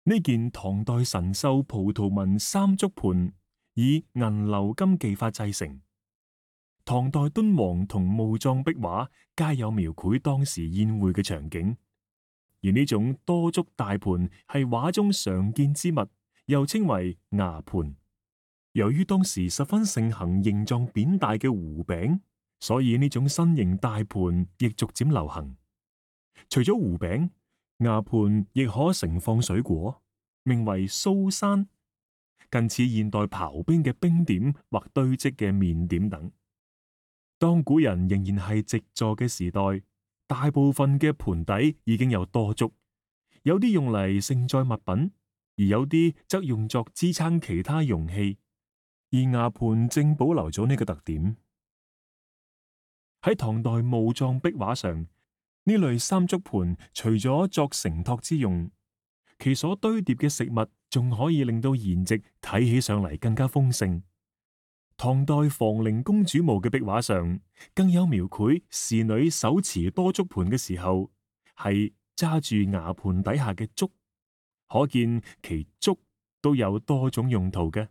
呢件唐代神獸葡萄紋三足盤以銀鎏金技法製成。唐代敦煌同墓葬壁畫皆有描繪當時宴會嘅場景，而呢種多足大盤係畫中常見之物，又稱為牙盤。由於當時十分盛行形狀扁大嘅糊餅，所以呢種新型大盤亦逐漸流行。除咗糊餅，牙盤亦可盛放水果，名為酥山，近似現代刨冰嘅冰點或堆積嘅麵點等。當古人仍然係席座嘅時代，大部分嘅盤底已經有多足，有啲用嚟盛載物品，而有啲則用作支撐其他容器。而牙盤正保留咗呢個特點。喺唐代墓葬壁畫上，呢類三足盤除咗作承托之用，其所堆疊嘅食物仲可以令到筵席睇起上嚟更加豐盛。唐代房陵公主墓嘅壁畫上，更有描繪侍女手持多足盤嘅時候，係揸住牙盤底下嘅足，可見其足都有多種用途嘅。